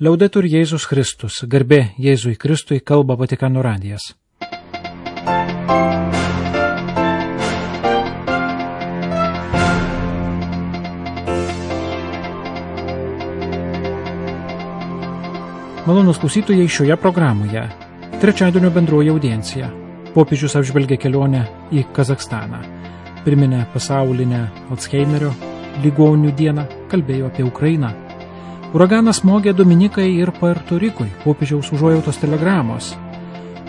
Liaudetur Jėzus Kristus, garbė Jėzui Kristui, kalba Vatikano radijas. Malonūs klausytojai, šioje programoje trečiadienio bendroji audiencija. Popiežius apžvelgia kelionę į Kazachstaną, priminė pasaulinę Alzheimerio ligonių dieną, kalbėjo apie Ukrainą. Uraganas smogė Dominikai ir Puerto Rikui, popiežiaus užuojautos telegramos.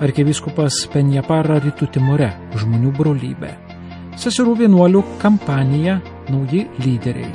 Arkivyskupas Penjapara Rytų Timore, žmonių brolybė. Seserų vienuolių kampanija, nauji lyderiai.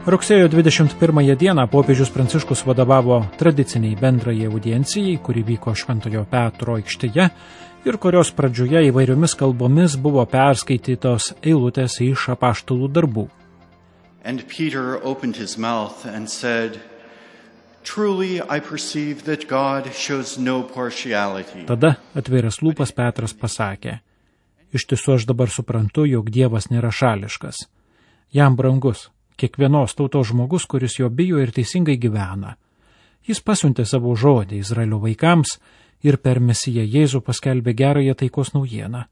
Rugsėjo 21 dieną popiežius Pranciškus vadovavo tradiciniai bendrajai audiencijai, kuri vyko Šventojo Petro aikštėje ir kurios pradžioje įvairiomis kalbomis buvo perskaitytos eilutės iš apaštalų darbų. And Peter opened his mouth and said, "Truly I perceive that God shows no partiality." Tada atvėręs lūpas Petras pasakė: "Iš tiesų aš dabar suprantu, jog Dievas nėra šališkas. Jam brangus kiekvienos tautos žmogus, kuris jo bijo ir teisingai gyvena. Jis pasiuntė savo žodį Izraelio vaikams ir per Mesiją Jėzų paskelbė gerąją taikos naujieną.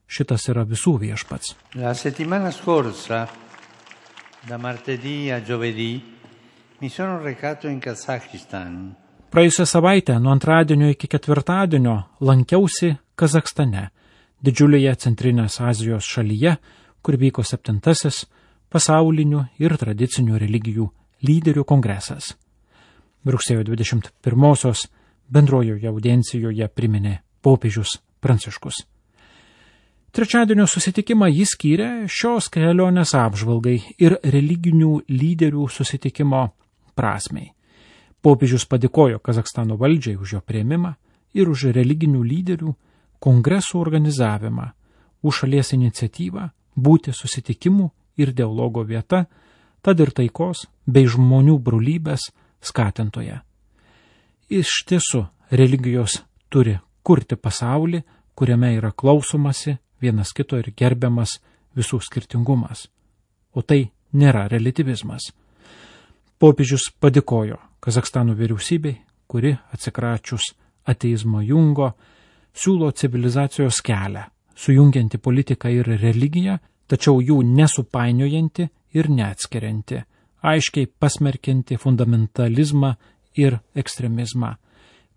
Šitas yra visų viešpats." La settimana scorsa, da martedì a giovedì, mi sono recato in Kazakistan. Praėjusią savaitę, nuo antradienio iki ketvirtadienio, lankiausi Kazachstane, didžiulėje Centrinės Azijos šalyje, kur vyko 7. pasaulinių ir tradicinių religijų lyderių kongresas. Rugsėjo 21 bendrojoje audiencijoje priminė popiežius Pranciškus. Trečiadienio susitikimą jis skyrė šios kelionės apžvalgai ir religinių lyderių susitikimo prasmei. Popiežius padėkojo Kazachstano valdžiai už jo priėmimą ir už religinių lyderių kongresų organizavimą, už šalies iniciatyvą būti susitikimų ir dialogo vieta, tad ir taikos bei žmonių brolybės skatintoje. Iš tiesų, religijos turi kurti pasaulį, kuriame yra klausomasi vienas kito ir gerbiamas visų skirtingumas. O tai nėra relativizmas. Popiežius padėkojo Kazachstano vyriausybei, kuri atsikračius ateizmo jungo, siūlo civilizacijos kelią, sujungianti politiką ir religiją, tačiau jų nesupainiojanti ir neatskirianti, aiškiai pasmerkianti fundamentalizmą ir ekstremizmą.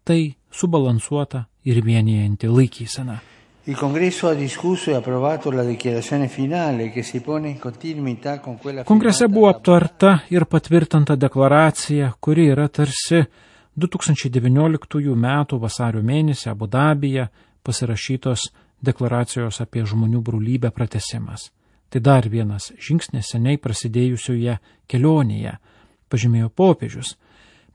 Tai subalansuota ir vienijanti laikysena. Il Congresso ha discusso e approvato la dichiarazione finale che si pone in continuità con quella. Kongrese buvo aptarta ir patvirtinta deklaracija, kuri yra tarsi 2019 m. vasario mėnesį Abu Dabyje pasirašytos deklaracijos apie žmonių brolybę pratęsimas. Tai dar vienas žingsnis seniai prasidėjusioje kelionėje, pažymėjo popiežius,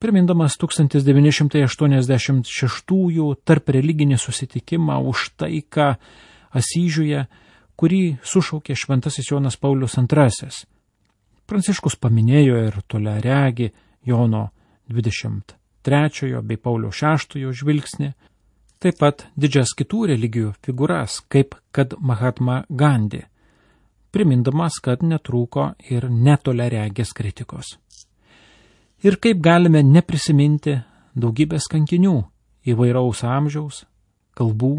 primindamas 1986 tarp religinį susitikimą už taiką Asyžiuje, kurį sušaukė šventasis Jonas Paulius II. Pranciškus paminėjo ir toliaregį Jono 23 bei Pauliaus VI žvilgsnį, taip pat didžias kitų religijų figūras, kaip kad Mahatma Gandhi, primindamas, kad netrūko ir netoliaregės kritikos. Ir kaip galime neprisiminti daugybės kankinių įvairaus amžiaus, kalbų,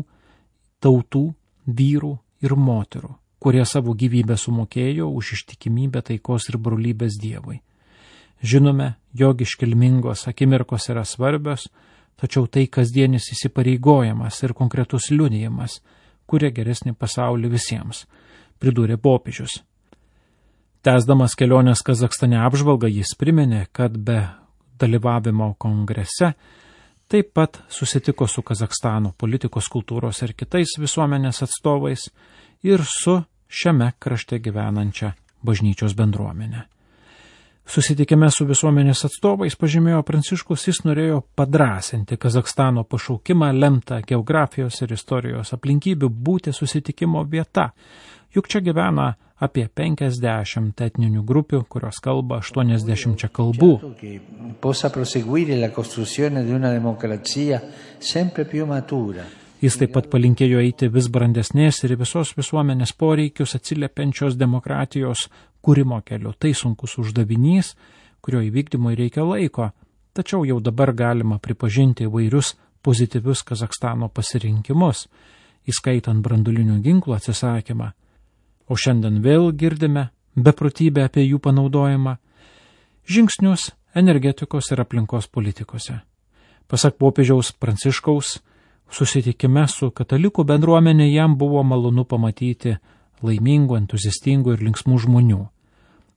tautų, vyrų ir moterų, kurie savo gyvybę sumokėjo už ištikimybę taikos ir brolybės Dievui. Žinome, jog iškilmingos akimirkos yra svarbios, tačiau tai kasdienis įsipareigojimas ir konkretus liudijimas, kuria geresnį pasaulį visiems, pridūrė popiežius. Tęsdamas kelionės Kazachstane apžvalgą, jis priminė, kad be dalyvavimo kongrese taip pat susitiko su Kazachstano politikos, kultūros ir kitais visuomenės atstovais ir su šiame krašte gyvenančia bažnyčios bendruomenė. Susitikime su visuomenės atstovais, pažymėjo Pranciškus, jis norėjo padrąsinti Kazachstano pašaukimą lemtą geografijos ir istorijos aplinkybių būti susitikimo vieta, juk čia gyvena apie 50 etninių grupių, kurios kalba 80 kalbų. Jis taip pat palinkėjo eiti vis brandesnės ir visos visuomenės poreikius atsiliepiančios demokratijos kūrimo keliu. Tai sunkus uždavinys, kurio įvykdymui reikia laiko, tačiau jau dabar galima pripažinti įvairius pozityvius Kazachstano pasirinkimus, įskaitant brandulinių ginklų atsisakymą. O šiandien vėl girdime beprotybę apie jų panaudojimą, žingsnius energetikos ir aplinkos politikose. Pasak popiežiaus Pranciškaus, susitikime su katalikų bendruomenė jam buvo malonu pamatyti laimingų, entuziastingų ir linksmų žmonių.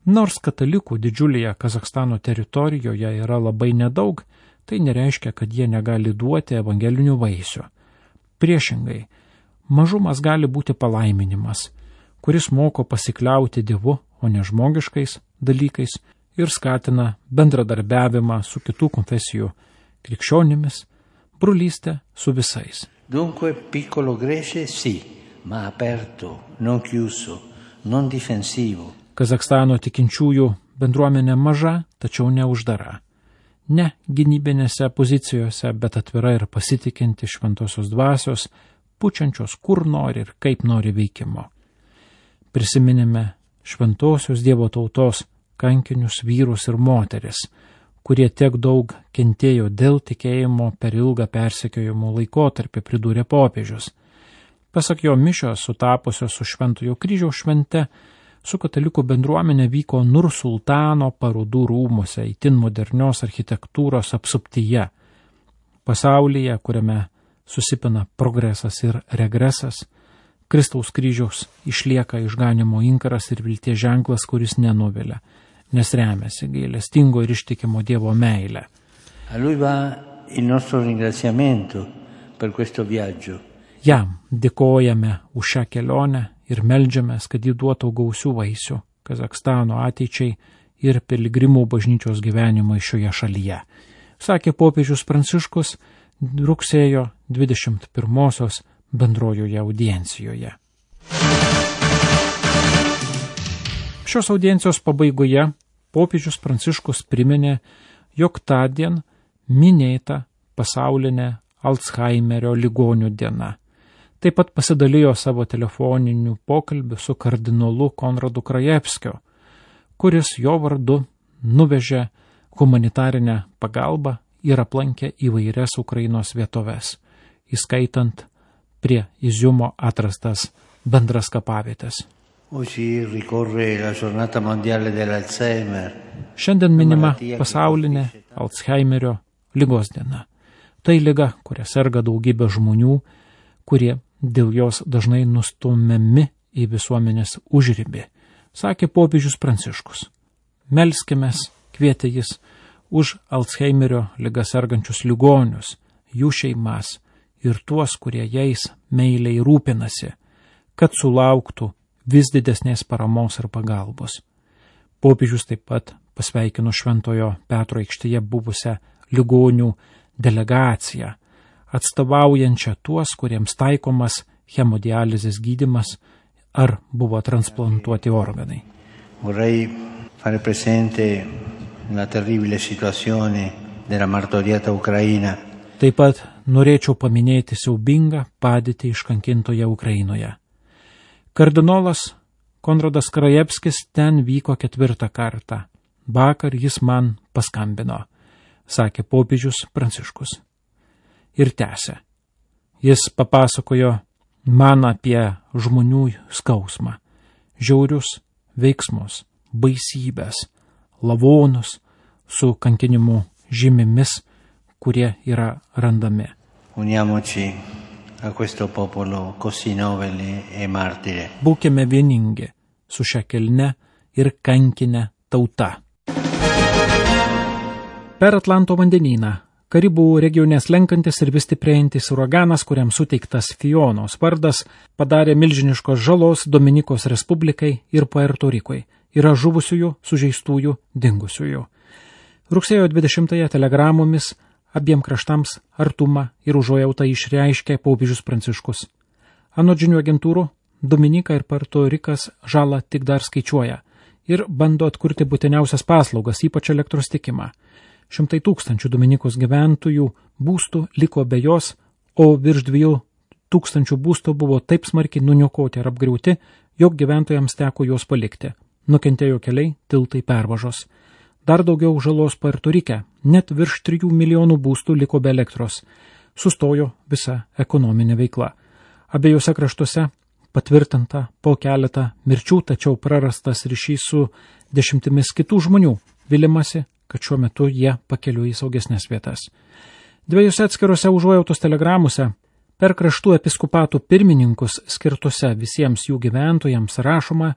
Nors katalikų didžiulėje Kazachstano teritorijoje yra labai nedaug, tai nereiškia, kad jie negali duoti evangelinių vaisių. Priešingai, mažumas gali būti palaiminimas, kuris moko pasikliauti Dievu, o ne žmogiškais dalykais ir skatina bendradarbiavimą su kitų konfesijų krikščionimis, brolystę su visais. Dunque piccolo Grece sì, ma aperto, non chiuso, non difensivo. Kazachstano tikinčiųjų bendruomenė maža, tačiau neuždara. Ne gynybinėse pozicijose, bet atvira ir pasitikinti šventosios dvasios, pučiančios kur nori ir kaip nori veikimo. Prisiminėme šventosios Dievo tautos kankinius vyrus ir moteris, kurie tiek daug kentėjo dėl tikėjimo per ilgą persekiojimo laikotarpį, pridūrė popiežius. Pasak jo, mišios sutapusios su Šventojo kryžiaus švente, su katalikų bendruomenė vyko Nursultano parodų rūmuose, itin modernios architektūros apsuptyje. Pasaulyje, kuriame susipina progresas ir regresas, Kristaus kryžiaus išlieka išganimo inkaras ir vilties ženklas, kuris nenuvilia, nes remiasi gailestingo ir ištikimo Dievo meilę. A lui va il nostro ringraziamento per questo viaggio. Jam dėkojame už šią kelionę ir meldžiamės, kad jį duotų gausių vaisių Kazachstano ateičiai ir piligrimų bažnyčios gyvenimui šioje šalyje, sakė popiežius Pranciškus rugsėjo 21-osios bendrojoje audiencijoje. Šios audiencijos pabaigoje popiežius Pranciškus priminė, jog tądien minėta pasaulinė Alzheimerio ligonių diena. Taip pat pasidalijo savo telefoniniu pokalbiu su kardinolu Konradu Krajevskiu, kuris jo vardu nuvežė humanitarinę pagalbą ir aplankė įvairias Ukrainos vietoves, įskaitant prie Iziumo atrastas bendras kapavietės. Šiandien minima pasaulinė Alzheimerio ligos diena. Tai liga, kuria serga daugybė žmonių, kurie dėl jos dažnai nustumiami į visuomenės užribį, sakė popiežius Pranciškus. Melskimės, kvietė jis, už Alzheimerio ligą sergančius ligonius, jų šeimas ir tuos, kurie jais meiliai rūpinasi, kad sulauktų vis didesnės paramos ir pagalbos. Popiežius taip pat pasveikino Šventojo Petro aikštėje buvusią ligonių delegaciją, atstovaujančią tuos, kuriems taikomas hemodializės gydymas ar buvo transplantuoti organai. Vorrei fare presente la terribile situazione della martoriata Ucraina. Taip pat norėčiau paminėti siaubingą padėtį iškankintoje Ukrainoje. Kardinolas Konradas Krajevskis ten vyko 4. kartą. Vakar jis man paskambino, sakė popiežius Pranciškus. Ir tęsė. Jis papasakojo man apie žmonių skausmą, žiaurius veiksmus, baisybės, lavonus su kankinimu žymimis, kurie yra randami. Uniamoci a questo popolo così nobile e martire. Būkime vieningi su šia kilne ir kankine tauta. Per Atlanto vandenyną Karibų regione slenkantis ir vis stiprėjantis uraganas, kuriam suteiktas Fionos vardas, padarė milžiniškos žalos Dominikos Respublikai ir Puerto Rikui. Yra žuvusiųjų, sužeistųjų, dingusiųjų. Rugsėjo 20-ąją telegramomis abiem kraštams artumą ir užuojautą išreiškė popiežius Pranciškus. Anot žinių agentūrų, Dominika ir Puerto Rikas žalą tik dar skaičiuoja ir bando atkurti būtiniausias paslaugas, ypač elektros tiekimą. 100 000 Dominikos gyventojų būstų liko be jos, o virš 2 tūkstančių būstų buvo taip smarkiai nuniokoti ir apgriauti, jog gyventojams teko juos palikti. Nukentėjo keliai, tiltai, pervažos. Dar daugiau žalos Puerto Rike, net virš 3 milijonų būstų liko be elektros. Sustojo visa ekonominė veikla. Abiejose kraštuose patvirtinta po keletą mirčių, tačiau prarastas ryšys su dešimtimis kitų žmonių. Vilimasi, kad šiuo metu jie pakeliu į saugesnės vietas. Dviejose atskiruose užuojautos telegramuose per kraštų episkopatų pirmininkus skirtuose visiems jų gyventojams rašoma,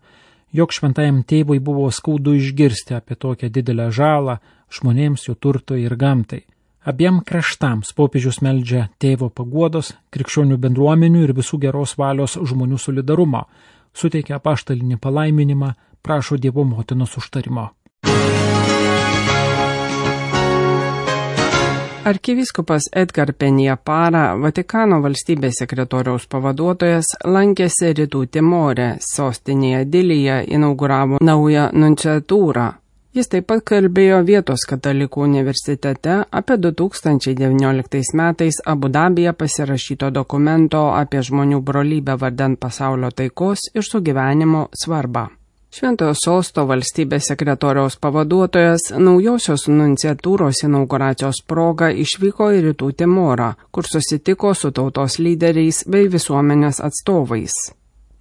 jog šventajam tėvui buvo skaudu išgirsti apie tokią didelę žalą žmonėms, jų turtui ir gamtai. Abiem kraštams popiežius meldžia tėvo paguodos, krikščionių bendruomenių ir visų geros valios žmonių solidarumo, suteikia apaštalinį palaiminimą, prašo Dievo motinos užtarimo. Arkivyskupas Edgar Penjapara, Vatikano valstybės sekretoriaus pavaduotojas, lankėsi Rytų Timore, sostinėje Dilyje, inauguravo naują nunciatūrą. Jis taip pat kalbėjo vietos katalikų universitete apie 2019 metais Abu Dabyje pasirašyto dokumento apie žmonių brolybę vardan pasaulio taikos ir sugyvenimo svarbą. Šventojo sosto valstybės sekretoriaus pavaduotojas naujosios nunciatūros inauguracijos proga išvyko į Rytų Timorą, kur susitiko su tautos lyderiais bei visuomenės atstovais.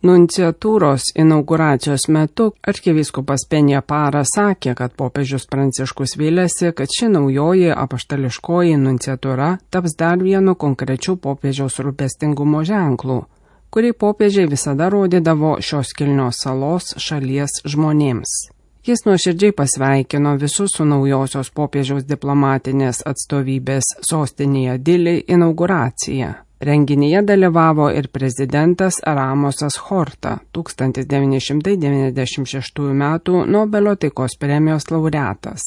Nunciatūros inauguracijos metu arkivyskupas Penjapara sakė, kad popiežius Pranciškus vylėsi, kad ši naujoji apaštališkoji nunciatūra taps dar vienu konkrečiu popiežiaus rūpestingumo ženklu, kurį popiežiai visada rodydavo šios kilnios salos šalies žmonėms. Jis nuoširdžiai pasveikino visus su naujosios popiežiaus diplomatinės atstovybės sostinėje Dili inauguracija. Renginyje dalyvavo ir prezidentas Ramosas Horta, 1996 m. Nobelio taikos premijos laureatas.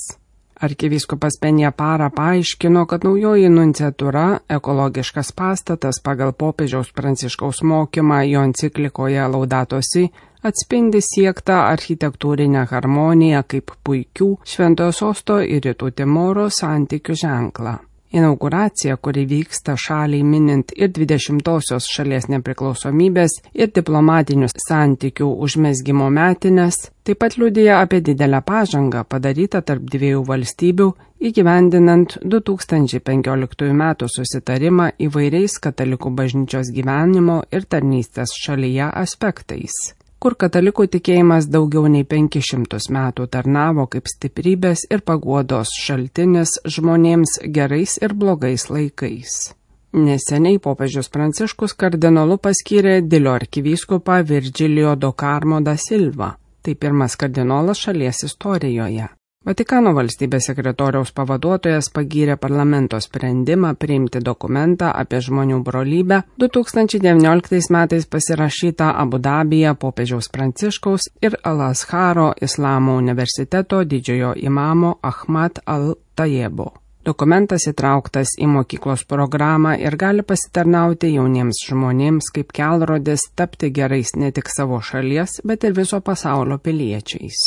Arkivyskupas Penjapara paaiškino, kad naujoji nunciatūra, ekologiškas pastatas pagal popiežiaus Pranciškaus mokymą jo enciklikoje Laudato Si, atspindi siektą architektūrinę harmoniją kaip puikių Šventojo sosto ir Rytų Timoro santykių ženklą. Inauguracija, kuri vyksta šaliai minint ir 20-osios šalies nepriklausomybės ir diplomatinių santykių užmezgimo metines, taip pat liudija apie didelę pažangą padarytą tarp dviejų valstybių įgyvendinant 2015 m. susitarimą įvairiais katalikų bažnyčios gyvenimo ir tarnystės šalyje aspektais, kur katalikų tikėjimas daugiau nei 500 metų tarnavo kaip stiprybės ir paguodos šaltinis žmonėms gerais ir blogais laikais. Neseniai popiežius Pranciškus kardinolu paskyrė Dilio arkivyskupą Virgilio do Carmo da Silva. Tai pirmas kardinolas šalies istorijoje. Vatikano valstybės sekretoriaus pavaduotojas pagyrė parlamento sprendimą priimti dokumentą apie žmonių brolybę 2019 metais pasirašytą Abu Dabyje popiežiaus Pranciškaus ir Al-Azharo Islamo universiteto didžiojo imamo Ahmad al-Tayebo. Dokumentas įtrauktas į mokyklos programą ir gali pasitarnauti jauniems žmonėms kaip kelrodis tapti gerais ne tik savo šalies, bet ir viso pasaulio piliečiais.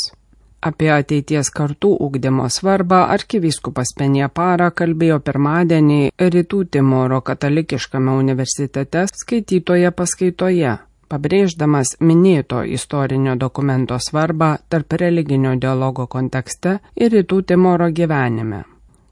Apie ateities kartų ugdymo svarbą arkivyskupas Penjapara kalbėjo pirmadienį Rytų Timoro katalikiškame universitete skaitytoje paskaitoje, pabrėždamas minėto istorinio dokumento svarbą tarp religinio dialogo kontekste ir Rytų Timoro gyvenime.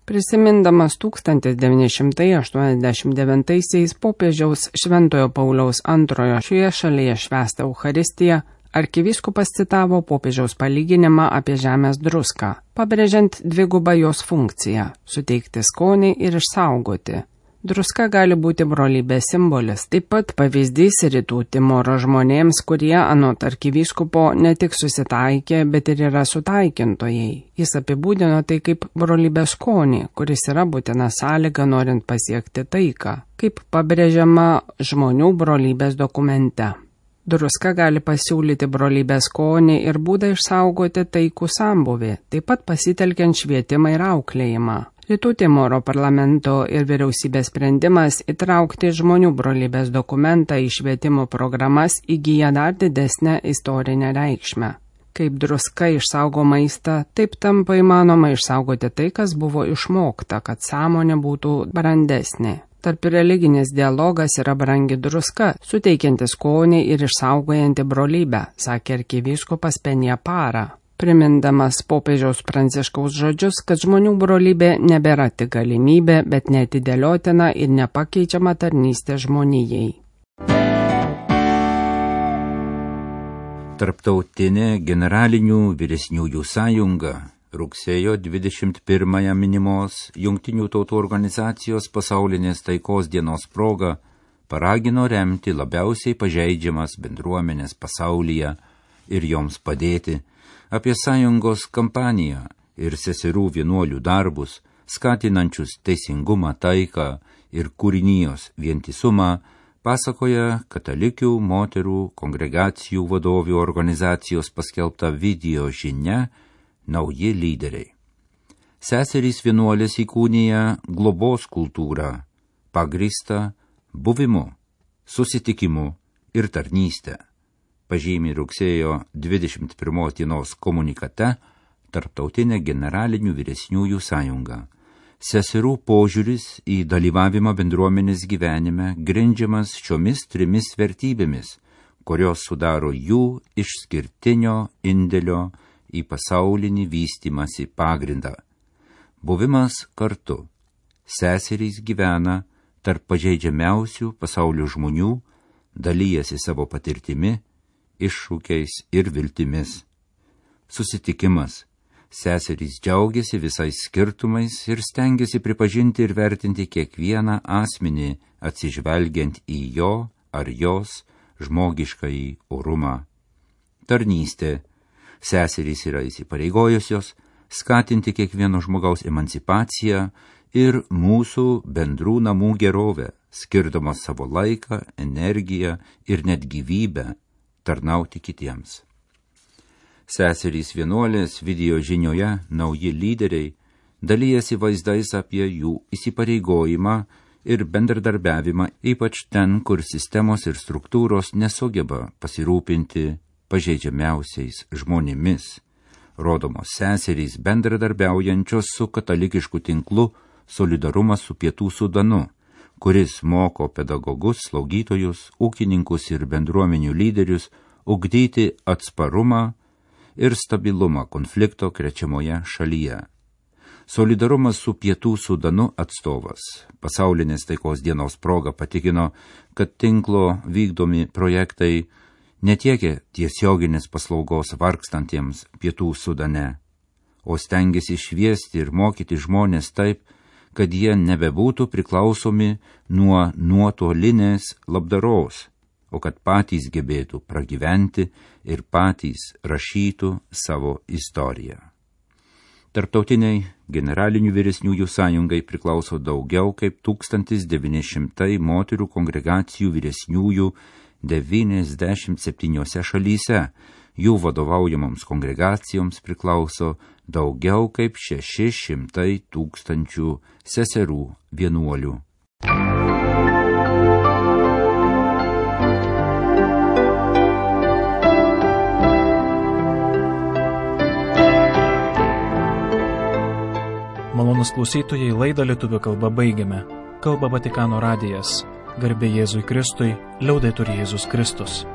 Prisimindamas 1989 popiežiaus Šventojo Pauliaus II šioje šalyje švęstą Eucharistiją, arkivyskupas citavo popiežiaus palyginimą apie žemės druską, pabrėžiant dvigubą jos funkciją – suteikti skonį ir išsaugoti. Druska gali būti brolybės simbolis, taip pat pavyzdys Rytų Timoro žmonėms, kurie anot arkivyskupo ne tik susitaikė, bet ir yra sutaikintojai. Jis apibūdino tai kaip brolybės skonį, kuris yra būtina sąlyga norint pasiekti taiką, kaip pabrėžiama žmonių brolybės dokumente. Druska gali pasiūlyti brolybės skonį ir būdą išsaugoti taikų sambūvį, taip pat pasitelkiant švietimą ir auklėjimą. Rytų Timoro parlamento ir vyriausybės sprendimas įtraukti žmonių brolybės dokumentą į švietimo programas įgyja dar didesnę istorinę reikšmę. Kaip druska išsaugo maistą, taip tampa įmanoma išsaugoti tai, kas buvo išmokta, kad sąmonė būtų brandesnė. Tarp religinis dialogas yra brangi druska, suteikianti skonį ir išsaugojanti brolybę, sakė arkivyskupas Penjapara, primindamas popiežiaus Pranciškaus žodžius, kad žmonių brolybė nebėra tik galimybė, bet neatidėliotina ir nepakeičiama tarnystė žmonijai. Tarptautinė generalinių vyresniųjų sąjunga rugsėjo 21-ąją minimos Jungtinių tautų organizacijos pasaulinės taikos dienos proga paragino remti labiausiai pažeidžiamas bendruomenės pasaulyje ir joms padėti. Apie sąjungos kampaniją ir seserų vienuolių darbus, skatinančius teisingumą, taiką ir kūrinijos vientisumą, pasakoja katalikių moterų kongregacijų vadovių organizacijos paskelbta video žinia Nauji lyderiai. Seserys vienuolės įkūnija globos kultūrą, pagrįstą buvimu, susitikimu ir tarnystę, pažymi rugsėjo 21 dienos komunikate Tarptautinė generalinių vyresniųjų sąjunga. Seserų požiūris į dalyvavimą bendruomenės gyvenime grindžiamas šiomis 3 vertybėmis, kurios sudaro jų išskirtinio indėlio į pasaulinį vystymąsi pagrindą. Buvimas kartu. Seserys gyvena tarp pažeidžiamiausių pasaulio žmonių, dalyjasi savo patirtimi, iššūkiais ir viltimis. Susitikimas. Seserys džiaugiasi visais skirtumais ir stengiasi pripažinti ir vertinti kiekvieną asmenį, atsižvelgiant į jo ar jos žmogiškąjį orumą. Tarnystė. Seserys yra įsipareigojusios skatinti kiekvieno žmogaus emancipaciją ir mūsų bendrų namų gerovę, skirdamos savo laiką, energiją ir net gyvybę tarnauti kitiems. Seserys vienuolės video žinioje Nauji lyderiai dalyjasi vaizdais apie jų įsipareigojimą ir bendradarbiavimą, ypač ten, kur sistemos ir struktūros nesugeba pasirūpinti pažeidžiamiausiais žmonėmis. Rodomos seserys bendradarbiaujančios su katalikišku tinklu Solidarumas su Pietų Sudanu, kuris moko pedagogus, slaugytojus, ūkininkus ir bendruomenių lyderius ugdyti atsparumą ir stabilumą konflikto krečiamoje šalyje. Solidarumas su Pietų Sudanu atstovas pasaulinės taikos dienos proga patikino, kad tinklo vykdomi projektai netiekia tiesioginės paslaugos vargstantiems Pietų Sudane, o stengiasi šviesti ir mokyti žmonės taip, kad jie nebebūtų priklausomi nuo nuotolinės labdaros, o kad patys gebėtų pragyventi ir patys rašytų savo istoriją. Tarptautiniai generalinių vyresniųjų sąjungai priklauso daugiau kaip 1900 moterų kongregacijų vyresniųjų 97 šalyse. Jų vadovaujamoms kongregacijoms priklauso daugiau kaip 600 000 seserų vienuolių. Malonūs klausytojai, laidą lietuvių kalba baigiame. Kalba Vatikano radijas. Garbė Jėzui Kristui, liaudetur Jėzus Kristus.